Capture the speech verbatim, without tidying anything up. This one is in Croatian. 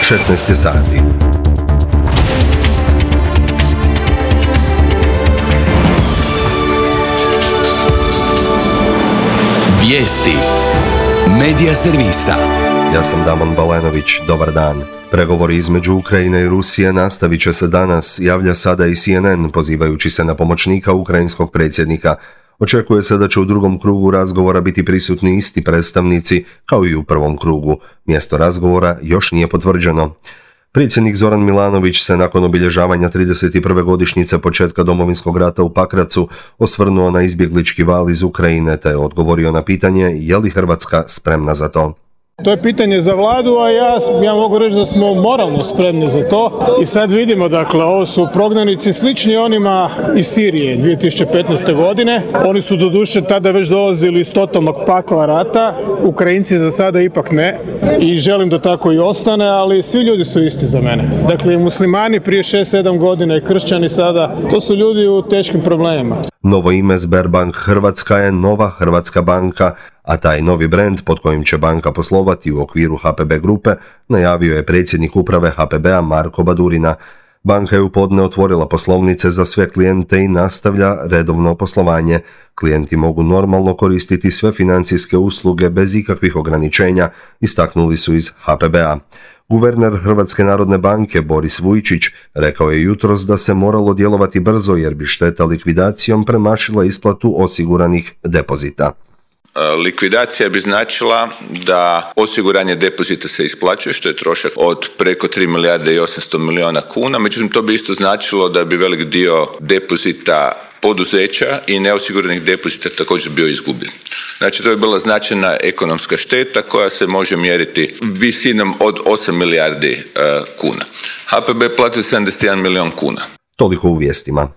šesnaest je sati. Vijesti Medija servisa. Ja sam Damon Balenović, dobar dan. Pregovori između Ukrajine i Rusije nastavit će se danas, javlja sada i C N N pozivajući se na pomoćnika ukrajinskog predsjednika. Očekuje se da će u drugom krugu razgovora biti prisutni isti predstavnici kao i u prvom krugu. Mjesto razgovora još nije potvrđeno. Predsjednik Zoran Milanović se nakon obilježavanja trideset prve godišnjice početka Domovinskog rata u Pakracu osvrnuo na izbjeglički val iz Ukrajine te odgovorio na pitanje je li Hrvatska spremna za to. To je pitanje za vladu, a ja, ja mogu reći da smo moralno spremni za to. I sad vidimo, dakle, ovo su prognanici slični onima iz Sirije dvije tisuće petnaeste. godine. Oni su doduše tada već dolazili iz totalnog pakla rata. Ukrajinci za sada ipak ne. I želim da tako i ostane, ali svi ljudi su isti za mene. Dakle, i muslimani prije šest sedam godina i kršćani sada, to su ljudi u teškim problemima. Novo ime Sberbank Hrvatska je Nova Hrvatska banka, a taj novi brend pod kojim će banka poslovati u okviru H P B grupe najavio je predsjednik uprave H P B-a Marko Badurina. Banka je u podne otvorila poslovnice za sve klijente i nastavlja redovno poslovanje. Klijenti mogu normalno koristiti sve financijske usluge bez ikakvih ograničenja, istaknuli su iz H P B-a. Guverner Hrvatske narodne banke Boris Vujčić rekao je jutros da se moralo djelovati brzo jer bi šteta likvidacijom premašila isplatu osiguranih depozita. Likvidacija bi značila da osiguranje depozita se isplaćuje, što je trošak od preko tri milijarde i osamsto milijuna kuna, međutim to bi isto značilo da bi velik dio depozita poduzeća i neosiguranih depozita također bio izgubljen. Znači to je bila značajna ekonomska šteta koja se može mjeriti visinom od osam milijardi uh, kuna. H P B platio sedamdeset jedan milijun kuna. Toliko u vijestima.